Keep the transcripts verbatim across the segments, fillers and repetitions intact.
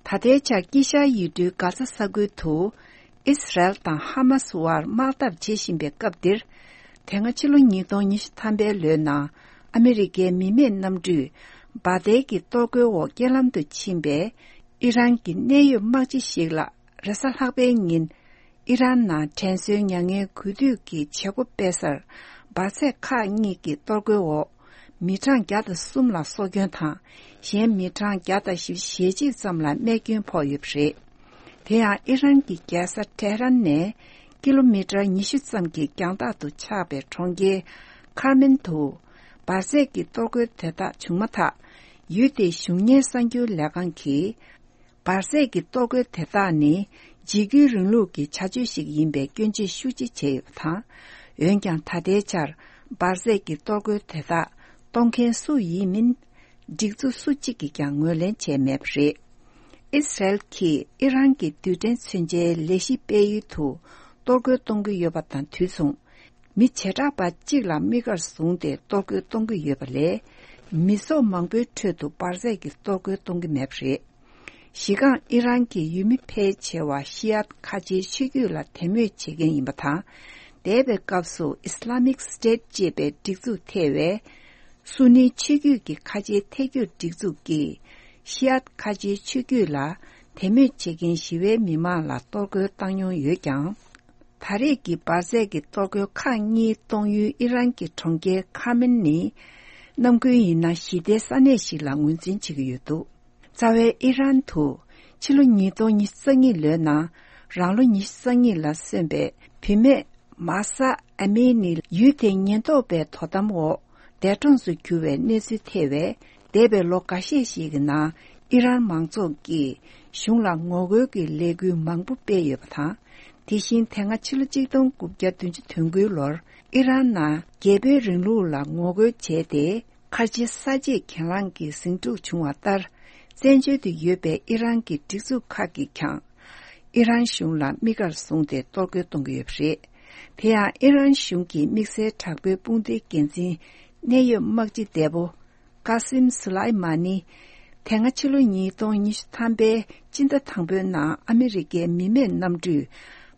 ད་ལྟའི་ཆར་དཀྱིལ་ཤར་ཡུལ་གྲུའི་གྷ་ས་ས་ཁུལ་དུ་ཨིས་རལ་དང་ཧ་མ་སི་དབར་དམག་འཐབ་བྱེད་བཞིན་པའི་སྐབས་འདིར། དེ་སྔ་ཕྱི་ལོ་ཉིས་སྟོང་ཉི་ཤུ་ཐམ་པའི་ལོའི་ནང་ཨ་མི་རི་ཀའི་མི་མེད་གནམ་གྲུས་འབར་མདེལ་གྱི་གཏོར་རྒོལ་འོག་རྐྱེན་ལམ་དུ་ཕྱིན་པའི་ཨི་རན་གྱི་གནད་ཡོད་དམག་སྤྱི་ཞིག་ལ། རེས་གཟའ་ལྷག་པའི་ཉིན་ཨི་རན་ནང་དྲན་གསོའི་མྱ་ངན་གུས་འདུད་ཀྱི་བྱེད་སྒོ་སྤེལ་སར། འབར་རྫས་ཁག་གཉིས་ཀྱི་གཏོར་རྒོལ་འོག་མི་གྲངས་བརྒྱ་དང་གསུམ་ལ་སྲོག་སྐྱོན་དང་། གཞན་མི་གྲངས་བརྒྱ་དང་ཞེ་གཅིག་ཙམ་ལ་རྨས་སྐྱོན་ཕོག་ཡོད་པ་རེད། དེ་ཡང་ཨི་རན་གྱི་རྒྱལ་ས་ཏེ་ཧ་རན་ནས་ཀི་ལོ་མི་ཊར་ཉི་ཤུ་ཙམ་གྱི་རྒྱང་ཐག་ཏུ་ཆགས་པའི་གྲོང་ཁྱེར་ཁར་མན་དུ་འབར་རྫས་ཀྱི་གཏོར་རྒོལ་དེ་དག་བྱུང་མ་ཐག་ཡུལ་དེའི་གཞུང་གཉེར་གསར་འགྱུར་ལས་ཁང་གིས། འབར་རྫས་ཀྱི་གཏོར་རྒོལ་དེ་དག་ནི་འཇིགས་སྐུལ་རིང་ལུགས་ཀྱི་བྱ་སྤྱོད་ཞིག་ཡིན་པའི་སྐྱོན་བརྗོད་ཤུགས་ཆེ་བྱས་ཡོད་པ་དང་། འོན་ཀྱང་ད་ལྟའི་ཆར་འབར་རྫས་ཀྱི་གཏོར་རྒོལ་དེ་དག་གཏོང་མཁན་སུ་ཡིན་མིན་སྒྲིག་འཛུགས་སུ་གཅིག་གིས་ཀྱང་ངོས་ལེན་བྱས་མེད་པ་རེད། ཨིས་རལ་གྱིས་ཨི་རན་གྱི་རྡུལ་ཕྲན་མཚོན་ཆའི་ལས་གཞི་སྤེལ་ཡུལ་དུ་གཏོར་རྒོལ་གཏོང་གི་ཡོད་པ་དང་དུས་མཚུངས། མི་བྱེ་བྲག་པ་གཅིག་ལ་དམིགས་བཀར་བཟུང་སྟེ་གཏོར་རྒོལ་གཏོང་གི་ཡོད་པ་ལས། མི་ཚོགས་མང་པོའི་ཁྲོད་དུ་འབར་རྫས་ཀྱི་གཏོར་རྒོལ་གཏོང་གི་མེད་པ་རེད། གཞི་རྐང་ཨི་རན་གྱི་ཡུལ་མི་ཕལ་ཆེ་བ་ཤི་ཨད་ཁ་ཆེའི་ཆོས་བརྒྱུད་ལ་དད་མོས་བྱེད་མཁན་ཡིན་པ་དང་། འདས་པའི་སྐབས་སུ་Islamic State ཅེས་པའི་སྒྲིག་འཛུགས་ཐེ་བའི་སུ་ནིའི་ཆོས་བརྒྱུད་ཀྱི་ཁ་ཆེའི་ཐད་སྐྱོད་སྒྲིག་འཛུགས་ཀྱིས་ཤི་ཨད་ཁ་ཆེའི་ཆོས་བརྒྱུད་ལ་དད་མོས་བྱེད་མཁན་ཞི་བའི་མི་མང་ལ་གཏོར་རྒོལ་བཏང་མྱོང་ཡོད་ཀྱང་། ད་རེས་ཀྱི་འབར་རྫས་ཀྱི་གཏོར་རྒོལ་ཁག་གཉིས་གཏོང་ཡུལ་ཨི་རན་གྱི་གྲོང་ཁྱེར་ཁ་མིན་ནི། ནམ་རྒྱུན་ཡིན་ན་ཞི་བདེའི་ས་གནས་ཤིག་ལ་ངོས་འཛིན་བྱེད་ཀྱི་ཡོད་འདུག་རྩ་བའི་ཨི་རན་དུ་ཕྱི་ལོ་ཉིས་སྟོང་ཉི་ཤུ་རྩ་གཉིས་ལོའི་ནང་རང་ལོ་ཉི་ཤུ་རྩ་གཉིས་ལ་སོན་པའི་བུད་མེད་མཱ་ས་ཨ་མི་ནི་ཡུལ་དེའི་ཉེན་རྟོག་པའི་དོ་དམ་འོག་འདས་གྲོངས་སུ་གྱུར་བའི་གནས་ཚུལ་ཐེ་བའི་འདས་པའི་ལོ་འགའ་ཤས་ཤིག་གི་ནང་ཨི་རན་མང་ཚོགས་ཀྱིས་གཞུང་ལ་ངོ་རྒོལ་གྱི་ལས་འགུལ་མང་པོ་སྤེལ་ཡོད་པ་དང་། དེ་བཞིན་དེ་སྔ་ཕྱི་ལོ་གཅིག་སྟོང་དགུ་བརྒྱ་བདུན་ཅུ་དོན་དགུའི་ལོར་ཨི་རན་ནང་རྒྱལ་པོའི་རིང་ལུགས་ལ་ངོ་རྒོལ་བྱས་ཏེ། ཁ་ཆེ་ས་བཅད་གྱེན་ལངས་ཀྱི་ཟིང་འཁྲུག་བྱུང་བ་ལྟར། བཙན་བྱོལ་དུ་ཡོད་པའི་ཨི་རན་གྱི་སྒྲིག་འཛུགས་ཁག་གིས་ཀྱང་། ཨི་རན་གཞུང་ལ་དམིགས་བཀར་བཟུང་སྟེ་གཏོར་རྒོལ་གཏོང་གི་ཡོད་པ་རེད། དེ་ཡང་ཨི་རན་གཞུང་གི་དམིགས་བསལ་དྲག་པོའི་དཔུང་སྡེའི་འགན་འཛིན་གནད་ཡོད་དམག་སྤྱི་འདས་པོ། ཀ་སིམ་སུ་ལའི་མ་ནི། དེ་སྔ་ཕྱི་ལོ་ཉིས་སྟོང་ཉི་ཤུ་ཐམ་པའི་སྤྱི་ཟླ་དང་པོའི་ནང་ཨ་མི་རི་ཀའི་མི་མེད་གནམ་གྲུས་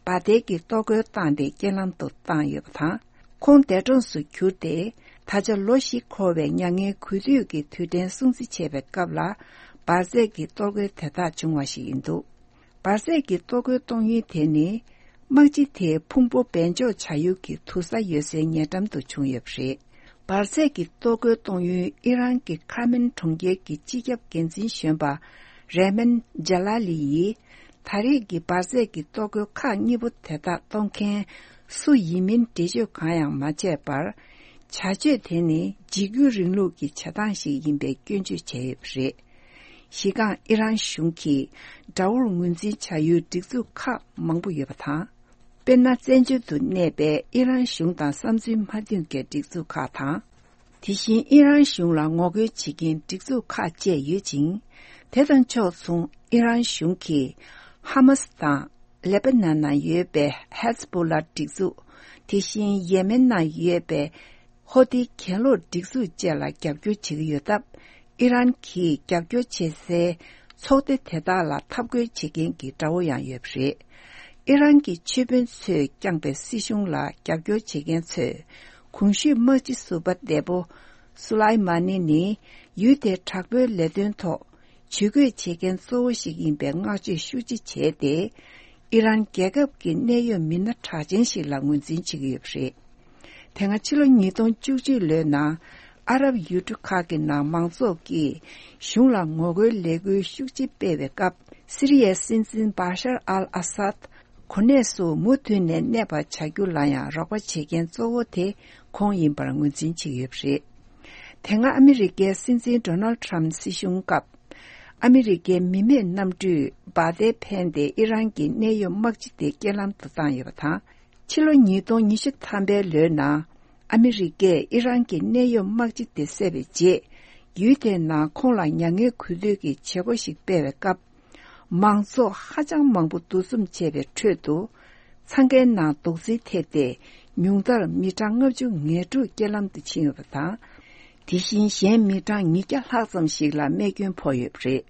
འབར་མདེལ་གྱི་གཏོར་རྒོལ་བཏང་སྟེ་རྐྱེན་ལམ་དུ་བཏང་ཡོད་པ་དང་། ཁོང་འདས་གྲོངས་སུ་གྱུར་ཏེ། ད་ཆ་ལོ་བཞི་འཁོར་བའི་མྱ་ངན་གུས་འདུད་ཀྱི་དུས་དྲན་སྲུང་བརྩི་བྱེད་པའི་སྐབས་ལ། འབར་རྫས་ཀྱི་གཏོར་རྒོལ་དེ་དག་བྱུང་བ་ཞིག་ཡིན་འདུག་འབར་རྫས་ཀྱི་གཏོར་རྒོལ་གཏོང་ཡུལ་དེ་ནི། དམག་སྤྱི་དེའི་ཕུང་པོ་སྦས་འཇོག་བྱ་ཡུལ་གྱི་དུར་ས་ཡོད་སའི་ཉེ་འགྲམ་དུ་བྱུང་ཡོད་པ་རེད། འབར་རྫས་ཀྱི་གཏོར་རྒོལ་གཏོང་ཡུལ་ཨི་རན་གྱི་ཁ་མིན་གྲོང་ཁྱེར་གྱི་སྤྱི་ཁྱབ་འགན་འཛིན་གཞོན་པ་རེ་མན་ཇ་ལ་ལི་ཡིས། ད་རེས་ཀྱི་འབར་རྫས་ཀྱི་གཏོར་རྒོལ་ཁག་གཉིས་པོ་དེ་དག་གཏོང་མཁན་སུ་ཡིན་མིན་འགྲེལ་བརྗོད་གང་ཡང་མ་བྱས་པར། བྱ་སྤྱོད་དེ་ནི་འཇིགས་སྐུལ་རིང་ལུགས་ཀྱི་བྱེད་སྟངས་ཤིག་ཡིན་པའི་སྐྱོན་བརྗོད་བྱས་ཡོད་པ་རེད། གཞི་རྐང་ཨི་རན་གཞུང་གིས་དགྲ་བོར་ངོས་འཛིན་བྱ་ཡུལ་སྒྲིག་འཛུགས་ཁག་མང་པོ་ཡོད་པ་དང་། དཔེར་ན། བཙན་བྱོལ་དུ་གནས་པའི་ཨི་རན་གཞུང་དང་བསམ་ཚུལ་མ་མཐུན་པའི་སྒྲིག་འཛུགས་ཁག་དང་། དེ་བཞིན་ཨི་རན་གཞུང་ལ་ངོ་རྒོལ་བྱེད་མཁན་སྒྲིག་འཛུགས་ཁག་བཅས་ཡོད་ཅིང་། དེ་དང་ཕྱོགས་མཚུངས་ཨི་རན་གཞུང་གིས་ཧ་མ་སི་དང་ལེ་པ་ནན་ནང་ཡོད་པའི་ཧེ་ཛ་བྷོ་ལ་སྒྲིག་འཛུགས། དེ་བཞིན་ཡེ་མེན་ནང་ཡོད་པའི་ཧོ་ཏི་གྱེན་ལོག་སྒྲིག་འཛུགས་བཅས་ལ་རྒྱབ་སྐྱོར་བྱེད་ཀྱི་ཡོད་སྟབས། ཨི་རན་གྱིས་རྒྱབ་སྐྱོར་བྱེད་སའི་ཚོགས་སྡེ་དེ་དག་ལ་འཐབ་རྒོལ་བྱེད་མཁན་གྱི་དགྲ་བོ་ཡང་ཡོད་པ་རེད། ཨི་རན་གྱི་ཆོས་དཔོན་ཚོས་བསྐྱངས་པའི་སྲིད་གཞུང་ལ་རྒྱབ་སྐྱོར་བྱེད་མཁན་ཚོས། གོང་ཞུས་དམག་སྤྱི་ཟུར་པ་འདས་པོ་སུ་ལའི་མ་ནི་ནི་ཡུལ་དེའི་དྲག་པོའི་ལས་དོན་ཐོག་ཇུས་འགོད་བྱེད་མཁན་གཙོ་བོ་ཞིག་ཡིན་པའི་བསྔགས་བརྗོད་ཤུགས་ཆེ་བྱས་ཏེ། ཨི་རན་རྒྱལ་ཁབ་ཀྱི་གནད་ཡོད་མི་སྣ་གྲགས་ཅན་ཞིག་ལ་ངོས་འཛིན་བྱེད་ཀྱི་ཡོད་པ་རེད། དེ་སྔ་ཕྱི་ལོ་ཉིས་སྟོང་བཅུ་གཅིག་ལོའི་ནང་ཨ་རབ་ཡུལ་གྲུ་ཁག་གི་ནང་མང་ཚོགས་ཀྱིས་གཞུང་ལ་ངོ་རྒོལ་ལས་འགུལ་ཤུགས་ཆེ་སྤེལ་བའི་སྐབས། སི་རི་ཡའི་སྲིད་འཛིན་བཱ་ཤར་ཨལ་ཨ་སཱད་གོ་གནས་སུ་མུ་མཐུད་ནས་གནས་པར་བྱ་རྒྱུ་ལ་ཡང་རོགས་པ་བྱེད་མཁན་གཙོ་བོ་དེ་ཁོང་ཡིན་པར་ངོས་འཛིན་བྱེད་ཀྱི་ཡོད་པ་རེད། དེ་སྔ་ཨ་མི་རི་ཀའི་སྲིད་འཛིན་ཌོ་ནལ་ཌི་ཊརམ་སྲིད་གཞུང་སྐབས། ཨ་མི་རི་ཀའི་མི་མེད་གནམ་གྲུས་འབར་མདེལ་འཕེན་ཏེ་ཨི་རན་གྱི་གནད་ཡོད་དམག་སྤྱི་དེ་རྐྱེན་ལམ་དུ་བཏང་ཡོད་པ་དང་། ཕྱི་ལོ་ཉིས་སྟོང་ཉི་ཤུ་ཐམ་པའི་ལོའི་ནང་ཨ་མི་རི་ཀས་ཨི་རན་གྱི་གནད་ཡོད་དམག་སྤྱི་དེ་བསད་པའི་རྗེས། ཡུལ་དེའི་ནང་ཁོང་ལ་མྱ་ངན་གུས་འདུད་ཀྱི་བྱེད་སྒོ་ཞིག་སྤེལ་བའི་སྐབས། མང་ཚོགས་ཧ་ཅང་མང་པོ་འདུ་འཛོམས་བྱས་པའི་ཁྲོད་དུ། འཚང་ཁའི་ནང་རྡོག་རྫིས་ཐེབས་ཏེ། ཉུང་མཐར་མི་གྲངས་ལྔ་བཅུ་ང་དྲུག་རྐྱེན་ལམ་དུ་ཕྱིན་ཡོད་པ་དང་། དེ་བཞིན་གཞན་མི་གྲངས་ཉིས་བརྒྱ་ལྷག་ཙམ་ཞིག་ལ་རྨས་སྐྱོན་ཕོག་ཡོད་པ་རེད།